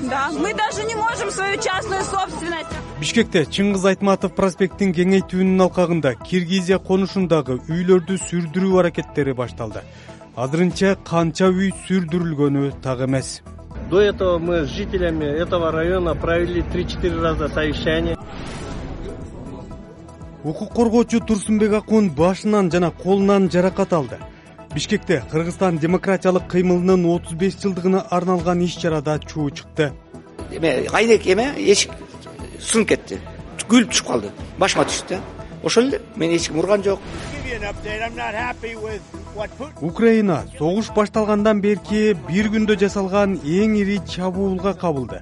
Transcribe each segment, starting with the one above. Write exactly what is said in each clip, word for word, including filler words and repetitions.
Да, мы даже не можем свою частную собственность. Бишкекте Чыңгыз Айтматов проспекттин кеңейтүүнүн алкагында Киргизия конушундагы үйлөрдү сүрдүрүү аракеттери башталды. Азырынча канча үй сүрдүрүлгөнү так эмес. До этого мы с жителями этого района провели три-четыре раза совещание. Укук коргоочу Турсунбек Акун башынан жана колунан жаракат алды. Бишкекте Кыргызстан демократиялык кыймылынын отуз беш жылдыгына арналган иш-чарада чуу чыкты. Эме айнек эме эшик сынып кетти. Күлүп түшүп калды. Башыма түштү. Ошол эле. Мен эч ким урган жок. Украина согуш башталгандан берки бир күндө жасалган эң ири чабуулга кабылды.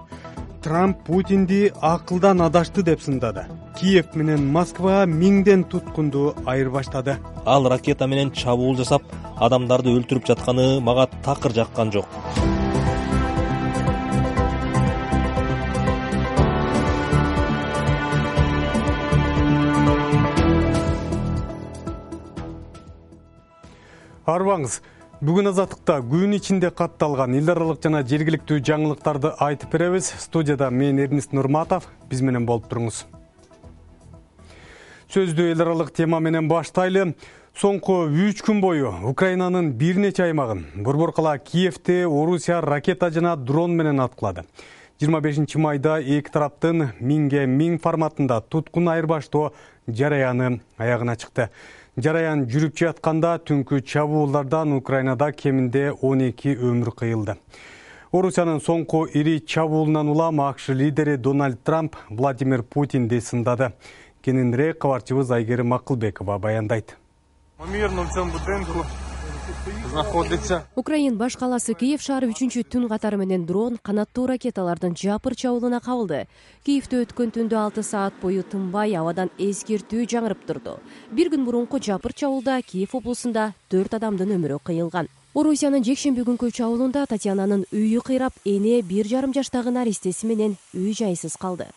Трамп Путинди акылдан адашты деп сындады. Киев менен Москва миңден туткунду айырбаштады. Ал ракета менен чабуул жасап, адамдарды өлтүрүп жатканы мага такыр жаккан жок. Арбаңыз. Бүгүн азаттыкта күн ичинде катталган эл аралык жана жергиликтүү жаңылыктарды айтып беребиз. Студияда мен Эрнист Нурматов, биз менен болуп туруңуз. Сөздү эл аралык тема менен баштайлы. Соңку үч күн бою Украинанын бир нече аймагын борбор кала Киевте Орусия ракета жана дрон менен аткылады. жыйырма бешинчи майда эки тараптын миңге миң форматында туткун айырбаштоо жараяны аягына чыкты. Жараян жүрүп жатканда түнкү чабуулдардан Украинада кеминде он эки өмүр кыйылды. Орусиянын соңку ири чабуулунан улам АКШ лидери Дональд Трамп Владимир Путинди сындады. Кененирээк кабарчыбыз Айгерим Акылбекова баяндайт. Украин баш каласы Киев шаары үчүнчү түн катары менен дрон, канаттуу ракеталардын жапыр чабуулуна кабылды. Киевде өткөн түндө алты саат бою тынбай абадан эскертүү жаңырып турду. Бир күн мурунку жапыр чабуулда Киев облусунда төрт адамдын өмүрү кыйылган. Орусиянын жекшемби күнкү чабуулунда Татьянанын үйү кыйрап, эне бир жарым жаштагы наристеси менен үй жайсыз калды.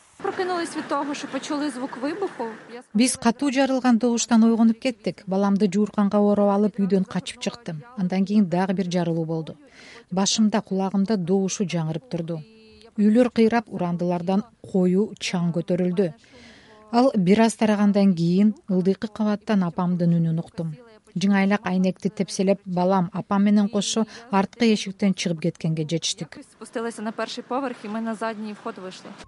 Биз катуу жарылган добуштан ойгонуп кеттик. Баламды жуурканга ороп алып үйдөн качып чыктым. Андан кийин дагы бир жарылуу болду. Башымда, кулагымда добушу жаңырып турду. Үйлөр кыйрап, урандылардан коюу чаң көтөрүлдү. Ал бир аз тарагандан кийин ылдыйкы кабаттан апамдын үнүн уктум. Жыңайлак айнекти тепселеп, балам, апам менен кошо арткы эшиктен чыгып кеткенге жетиштик.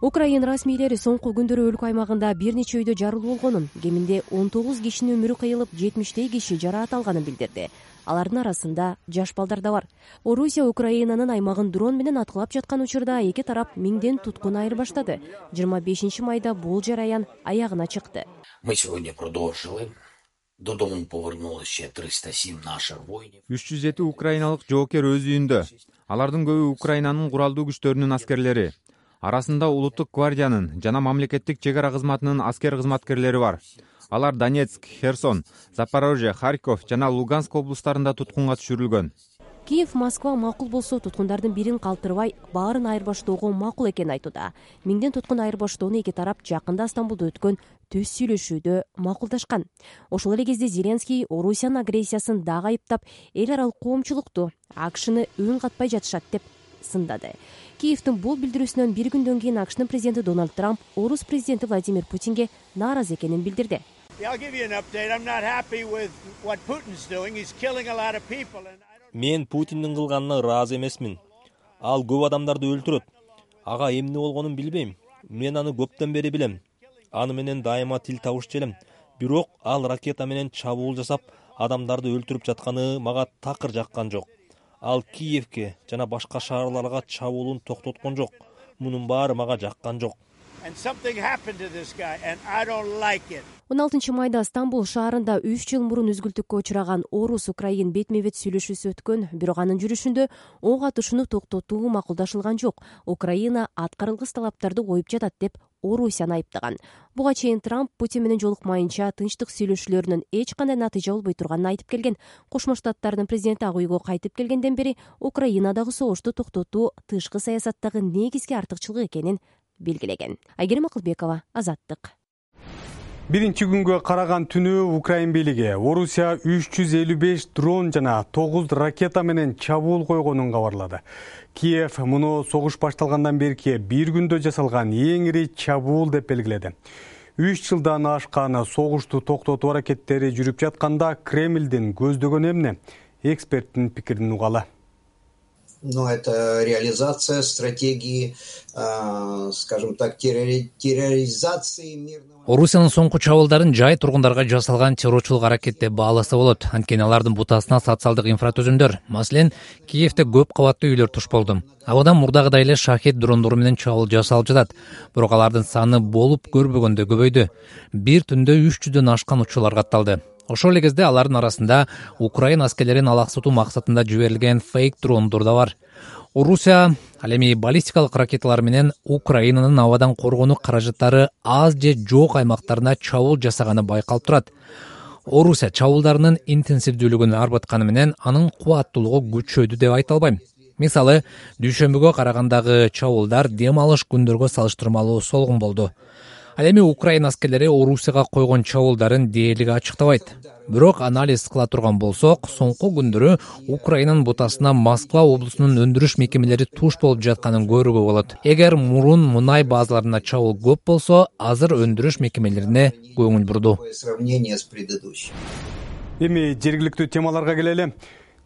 Украин расмийлери соңку күндөрү өлкө аймагында бир нече үйдө жарылуу болгонун, кеминде он тогуз кишинин өмүрү кыйылып, жетимиштей киши жараат алганын билдирди. Алардын арасында жаш балдар да бар. Орусия Украинанын аймагын дрон менен аткылап жаткан учурда эки тарап миңден туткун айырбаштады. жыйырма бешинчи майда бул жараян аягына чыкты. Мы сегодня продолжили. Додому повернулось ще триста сем наших воинов. үч жүз жети украиналык жоокер өз үйүндө. Алардын көбү Украинанын куралдуу күчтөрүнүн аскерлери. Арасында улуттук гвардиянын жана мамлекеттик чек ара кызматынын аскер кызматкерлери бар. Алар Донецк, Херсон, Запорожье, Харьков жана Луганск облустарында туткунга түшүрүлгөн. Киев, Москва макул болсо туткундардын бирин калтырбай, баарын айырбаштоого макул экенин айтууда. Миңден туткун айырбаштоону эки тарап жакында Стамбулда өткөн түз сүйлөшүүдө макулдашкан. Ошол эле кезде Зеленский Орусиянын агрессиясын дагы айыптап, эл аралык коомчулукту АКШны үн катпай жатышат деп сындады. Киевдин бул билдирүүсүнөн бир күндөн кийин АКШнын президенти Дональд Трамп Орус президенти Владимир Путинге нааразы экенин билдирди. Мен Путиндин кылганына ыраазы эмесмин. Ал көп адамдарды өлтүрөт. Ага эмне болгонун билбейм. Мен аны көптөн бери билем. Аны менен дайыма тил табышчу элем. Бирок ал ракета менен чабуул жасап, адамдарды өлтүрүп жатканы мага такыр жаккан жок. Ал Киевке жана башка шаарларга чабуулун токтоткон жок. Мунун баары мага жаккан жок. он алтынчы майда Стамбул шаарында үч жыл мурун үзгүлтүккө учураган Орус Украин бетме-бет сүйлөшүүсү өткөн, бирок анын жүрүшүндө ок атышууну токтотуу макулдашылган жок. Украина аткарылгыс талаптарды коюп жатат деп Орусияны айыптаган. Буга чейин Трамп Путин менен жолукмайынча тынчтык сүйлөшүүлөрүнүн эч кандай натыйжа болбой турганын айтып келген. Кошмо Штаттардын президенти ак үйгө кайтып келгенден бери Украинадагы согушту токтотуу тышкы саясаттагы негизги артыкчылык экенин белгилеген. Айгерим Акылбекова, Азаттык. Биринчи күнгө караган түнү Украин бийлиги Орусия үч жүз элүү беш дрон жана тогуз ракета менен чабуул койгонун кабарлады. Киев муну согуш башталгандан берки бир күндө жасалган эң ири чабуул деп белгиледи. Үч жылдан ашкан согушту токтотуу аракеттери жүрүп жатканда Кремлдин көздөгөнү эмне? Эксперттин пикирин угалы. Но это реализация стратегии, скажем так, терроризации мирного. Орусиянын соңку чабуулдарын жай тургундарга жасалган террорчулук аракет деп бааласа болот. Анткени алардын бутасына социалдык инфратүзүмдөр, маселен, Киевде көп кабаттуу үйлөр туш болду. Абадан мурдагыдай эле шахет дрондору менен чабуул жасалып жатат. Бирок алардын саны болуп көрбөгөндө көбөйдү. Бир түндө үч жүздөн ашкан учурлар катталды. Ошол эле кезде алардын арасында Украин аскерлерин алаксытуу максатында жиберилген фейк дрондор да бар. Орусия ал эми баллистикалык ракеталар менен Украинанын абадан коргонуу каражаттары аз же жок аймактарына чабуул жасаганы байкалып турат. Орусия чабуулдарынын интенсивдүүлүгүн арбытканы менен анын кубаттуулугу күчөдү деп айта албайм. Мисалы, дүйшөмбүгө карагандагы чабуулдар дем алыш күндөргө салыштырмалуу солгун болду. Ал эми Украин аскерлери Орусияга койгон чабуулдарын дээрлиги ачыктабайт. Бирок анализ кыла турган болсок, соңку күндөрү Украинанын бутасына Москва облусунун өндүрүш мекемелери туш болуп жатканын көрүүгө болот. Эгер мурун мунай базаларына чабуул көп болсо, азыр өндүрүш мекемелерине көңүл бурду. Эми жергиликтүү темаларга келели.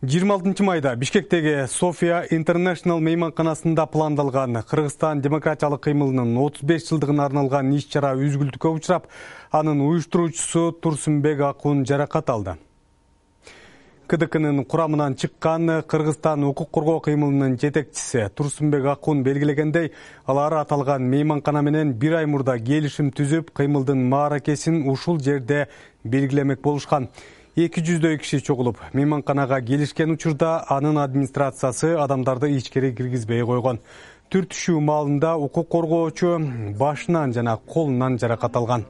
жыйырма алтынчы майда Бишкектеги София International мейманканасында пландалган Кыргызстан демократиялык кыймылынын отуз беш жылдыгына арналган иш-чара үзгүлтүккө учурап, анын уюштуруучусу Турсунбек Акун жаракат алды. КДКнын курамынан чыккан Кыргызстан укук коргоо кыймылынын жетекчиси Турсунбек Акун белгилегендей, алар аталган мейманкана менен бир ай мурда келишим түзүп, кыймылдын мааракесин ушул жерде белгилемек болушкан. эки жүздөй киши чогулуп, мейманканага келишкен учурда анын администрациясы адамдарды ичкери киргизбей койгон. Түртүшүү маалында укук коргоочу башынан жана колунан жаракат алган.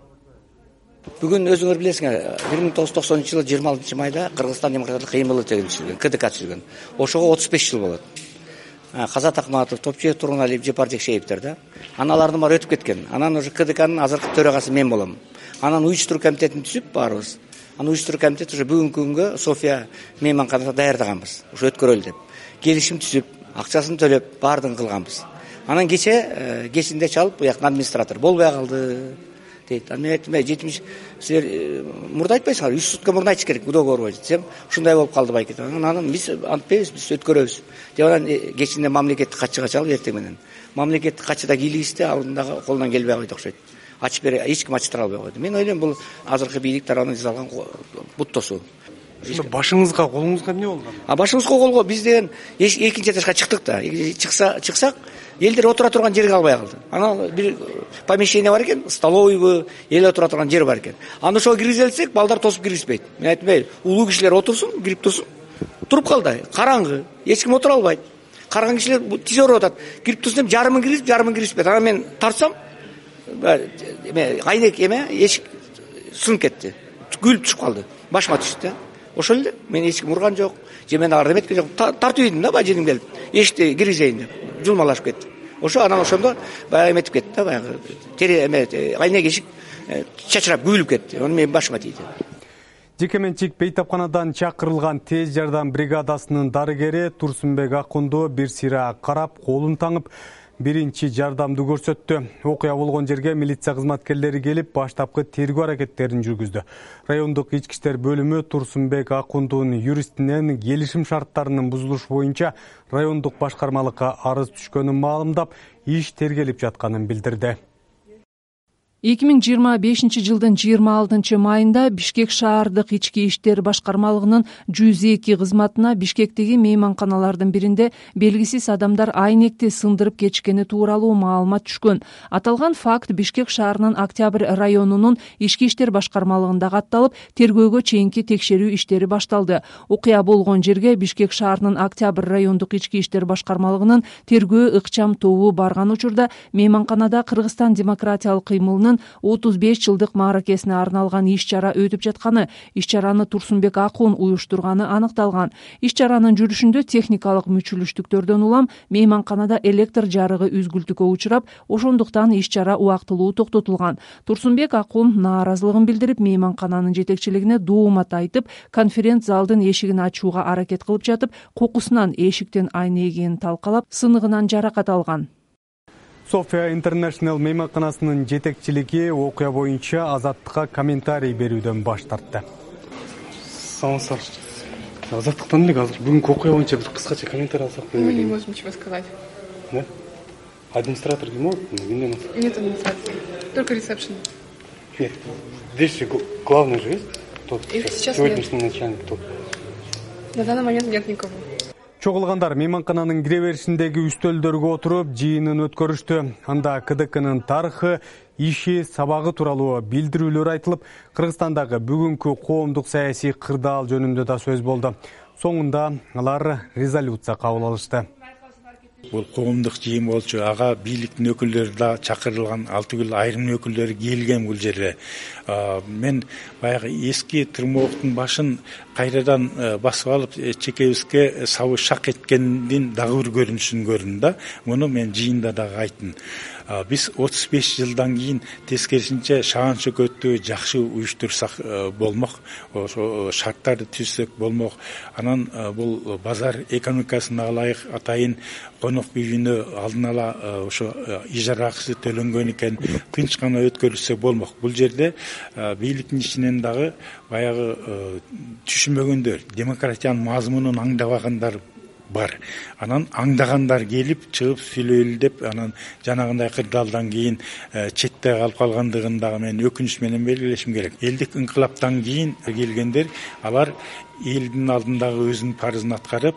Бүгүн өзүңөр билесиңер, бир миң тогуз жүз токсонунчу жылы жыйырма алтынчы майда Кыргызстан демократиялык кыймылы түзүлгөн, КДК түзүлгөн. Ошого отуз беш жыл болот. Казат Акматов, Топчиев Тургуналиев, Жепар Жекшеевдер да. Анан алардын баары өтүп кеткен. Анан уже КДКнын азыркы төрагасы мен болом. Анан уюштуруу комитетин түзүп баарыбыз. Анын уюштуруу комитети уже бүгүнкү күнгө София мейманканасына даярдаганбыз. Ушу өткөрөлү деп. Келишим түзүп, акчасын төлөп, баардыгын кылганбыз. Анан кече кечинде чалып, буяктан администратор болбой калды дейт. Анан мен айттым, жетимиш силер мурда айтпайсыңар, үч сутка мурда айтыш керек, договор боюнча десем, ушундай болуп калды байкет. Анан биз антпайбыз, биз өткөрөбүз. Деп анан кечинде мамлекеттик катчыга чалып эртең менен. Мамлекеттик катчы да кийлигисти, алдындагы колунан келбей койду окшойт. Ачып бере, эч ким ачтыра албай койду. Мен ойлойм, бул азыркы бийлик тарабынан жасалган буттосуу. Башыңызга, колуңузга эмне болгон? А башыбызга колго биз деген экинчи этажга чыктык да. Чыкса, чыксак, элдер отура турган жерге албай калды. Анан бир помещение бар экен, столовойбу, эл отура турган жер бар экен. Аны ошого киргизелсек, балдар тосуп киргизбейт. Мен айттым, улуу кишилер отурсун, кирип турсун. Туруп калды. Караңгы, эч ким отура албайт. Караган кишилер тиз өөрүп атат. Кирип турсун деп жарымын киргизип, жарымын киргизбейт. Анан мен тартсам, айнек эме эшик сынып кетти. Күлүп түшүп калды. Башыма түштү да. Ошол эле. Мен эч ким урган жок. Же мен арды эметкен жок. Тартып ийдим да, баженим келип. Эшикти киргизейин деп. Жулмалашып кетти. Ошо анан ошондо баягы эметип кетти да, баягы тере эме айнек эшик чачырап күлүп кетти. Аны мен башыма тийди. Жекеменчик бейтапканадан чакырылган тез жардам бригадасынын дарыгери Турсунбек Акунду бир сыйра карап, колун таңып, биринчи жардамды көрсөттү. Окуя болгон жерге милиция кызматкерлери келип, баштапкы тергөө аракеттерин жүргүздү. Райондук ички иштер бөлүмү Турсунбек Акундунун юристинен келишим шарттарынын бузулушу боюнча райондук башкармалыкка арыз түшкөнүн маалымдап, иш тергелип жатканын билдирди. эки миң жыйырма бешинчи жылдын жыйырма алтынчы майында Бишкек шаардык ички иштер башкармалыгынын жүз эки кызматына Бишкектеги мейманканалардын биринде белгисиз адамдар айнекти сындырып кетишкени тууралуу маалымат түшкөн. Аталган факт Бишкек шаарынын Октябрь районунун ички иштер башкармалыгында катталып, тергөөгө чейинки текшерүү иштери башталды. Окуя болгон жерге Бишкек шаарынын Октябрь райондук ички иштер башкармалыгынын тергөө ыкчам тобу барган учурда мейманканада Кыргызстан демократиялык кыймылынын кыргызстандын отуз беш жылдык мааракесине арналган иш чара өтүп жатканы, иш чараны Турсунбек Акун уюштурганы аныкталган. Иш чаранын жүрүшүндө техникалык мүчүлүштүктөрдөн улам мейманканада электр жарыгы үзгүлтүккө учурап, ошондуктан иш чара убактылуу токтотулган. Турсунбек Акун нааразылыгын билдирип, мейманкананын жетекчилигине доомат айтып, конференц залдын эшигин ачууга аракет кылып жатып, кокусунан эшиктен айнегенин талкалап, сыныгынан жаракат алган. София International мейманканасынын жетекчилиги окуя боюнча Азаттыкка комментарий берүүдөн баш тартты. Саламатсыздар. Азаттыктан элек азыр бүгүнкү окуя боюнча бир кыскача комментарий алсак болот. Мы не можем ничего сказать. Да? Администратор ким болот? Кимден? Нет администрации, только ресепшн. Нет. Здесь же главный же есть? Тот сегодняшний начальник тот. На данный момент нет никого. Чогулгандар мейманкананын кире беришиндеги үстөлдөргө отуруп жыйынын өткөрүштү. Анда КДКнын тарыхы, иши, сабагы тууралуу билдирүүлөр айтылып, Кыргызстандагы бүгүнкү коомдук саясий кырдаал жөнүндө да сөз болду. Соңунда алар резолюция кабыл алышты. Бул коомдук жыйын болчу, ага бийликтин өкүлдөрү да чакырылган, ал түгүл айрым өкүлдөрү келген бул жерге. Мен баягы эски тырмооктун башын кайрадан басып алып, чекебизге сабы шак эткендин дагы бир көрүнүшүн көрдүм да. Муну мен жыйында дагы айттым. Биз отуз беш жылдан кийин тескерисинче шаан шөкөттү жакшы уюштурсак болмок, ошо шарттарды түзсөк болмок. Анан бул базар экономикасына ылайык атайын конок үйүнө алдын ала ошо ижара акысы төлөнгөн экен, тынч гана өткөрүлсө болмок. Бул жерде бийликтин ичинен дагы баягы түшүнбөгөндөр, демократиянын мазмунун аңдабагандар бар. Анан аңдагандар келип чыгып сүйлөйлү деп, анан жанагындай кырдаалдан кийин четте калып калгандыгын дагы мен өкүнүч менен белгилешим керек. Элдик инкылаптан кийин келгендер, алар элдин алдындагы өзүнүн парызын аткарып,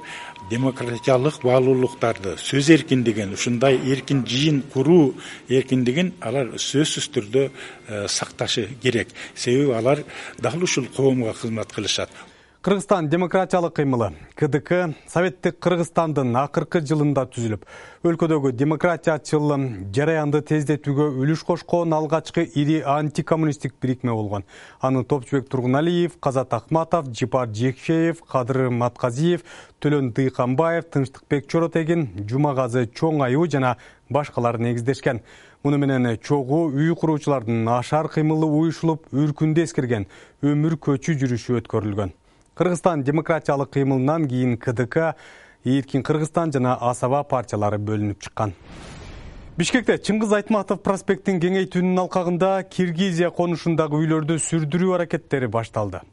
демократиялык баалуулуктарды, сөз эркиндигин, ушундай эркин жыйын куруу эркиндигин алар сөзсүз түрдө сакташы керек. Себеби алар дал ушул коомго кызмат кылышат. Кыргызстан демократиялык кыймылы КДК Советтик Кыргызстандын акыркы жылында түзүлүп, өлкөдөгү демократиячыл жараянды тездетүүгө үлүш кошкон алгачкы ири антикоммунисттик бирикме болгон. Аны Топчубек Тургуналиев, Казат Акматов, Жипар Жекшеев, Кадыр Матказиев, Төлөн Дыйканбаев, Тынчтыкбек Чоротегин, Жумагазы Чоңаю жана башкалар негиздешкен. Муну менен чогуу үй куруучулардын ашар кыймылы уюшулуп, үркүндү эскерген өмүр көчү жүрүшү өткөрүлгөн. Кыргызстан демократиялык кыймылынан кийин КДК, Эркин Кыргызстан жана Асаба партиялары бөлүнүп чыккан. Бишкекте Чыңгыз Айтматов проспектин кеңейтүүнүн алкагында Киргизия конушундагы үйлөрдү сүрдүрүү аракеттери башталды.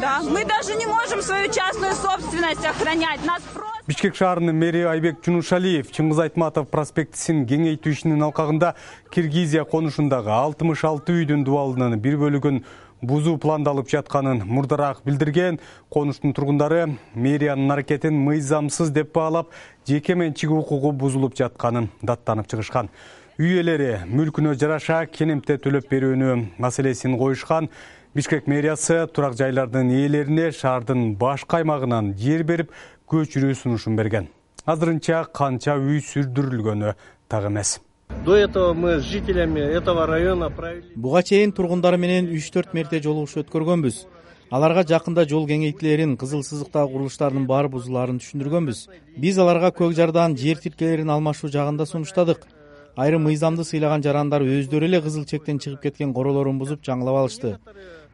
Да, мы даже не можем свою частную собственность охранять. Нас просто... Бишкек шаарынын мэри Айбек Жунушалиев Чыңгыз Айтматов проспектисин кеңейтүү ишинин алкагында Киргизия конушундагы алтымыш алты үйдүн дубалынын бир бөлүгүн бузуу пландалып жатканын мурдараак билдирген. Конуштун тургундары мэриянын аракетин мыйзамсыз деп баалап, жеке менчик укугу бузулуп жатканын даттанып чыгышкан. Үй ээлери мүлкүнө жараша кенемте төлөп берүүнү маселесин коюшкан. Бишкек мэриясы турак жайлардын ээлерине шаардын башка аймагынан жер берип, көчүрүү сунушун берген. Азырынча канча үй сүрдүрүлгөнү так эмес. До этого мы с жителями этого района провели... Буга чейин тургундары менен үч төрт мерте жолугушуу өткөргөнбүз. Аларга жакында жол кеңейтилерин, кызыл сызыктагы курулуштардын баары бузулаарын түшүндүргөнбүз. Биз аларга көк жардан жер тилкелерин алмашуу жагында сунуштадык. Айрым мыйзамды сыйлаган жарандар өздөрү эле кызыл чектен чыгып кеткен королорун бузуп жаңылап алышты.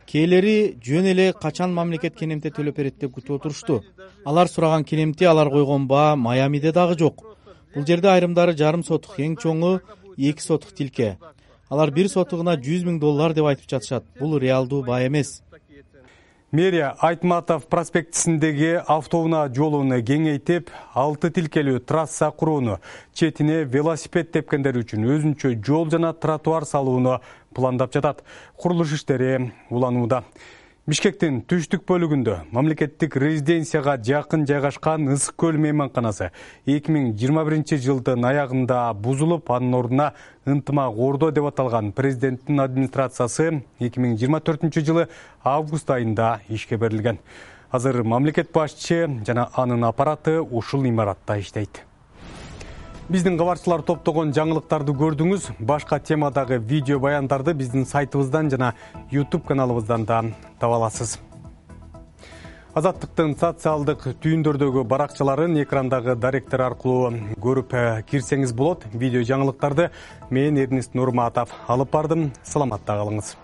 Кээлери жөн эле качан мамлекет кенемте төлөп берет деп күтүп отурушту. Алар сураган кенемте, алар койгон баа Майамиде дагы жок. Бул жерде айрымдары жарым сотук, эң чоңу эки сотук тилке. Алар бир сотугуна жүз миң доллар деп айтып жатышат. Бул реалдуу баа эмес. Мэрия Айтматов проспектисиндеги автоунаа жолун кеңейтип, алты тилкелүү трасса курууну, четине велосипед тепкендер үчүн өзүнчө жол жана тротуар салууну пландап жатат. Курулуш иштери уланууда. Бишкектин түштүк бөлүгүндө мамлекеттик резиденцияга жакын жайгашкан Ысык көл мейманканасы эки миң жыйырма биринчи жылдын аягында бузулуп, анын ордуна ынтымак ордо деп аталган президенттин администрациясы эки миң жыйырма төртүнчү жылы август айында ишке берилген. Азыр мамлекет башчы жана анын аппараты ушул имаратта иштейт. Биздин кабарчылар топтогон жаңылыктарды көрдүңүз. Башка темадагы видео баяндарды биздин сайтыбыздан жана YouTube каналыбыздан да таба аласыз. Азаттыктын социалдык түйүндөрдөгү баракчаларын экрандагы даректер аркылуу көрүп кирсеңиз болот. Видео жаңылыктарды мен Эрнест Нурматов алып бардым. Саламатта калыңыз.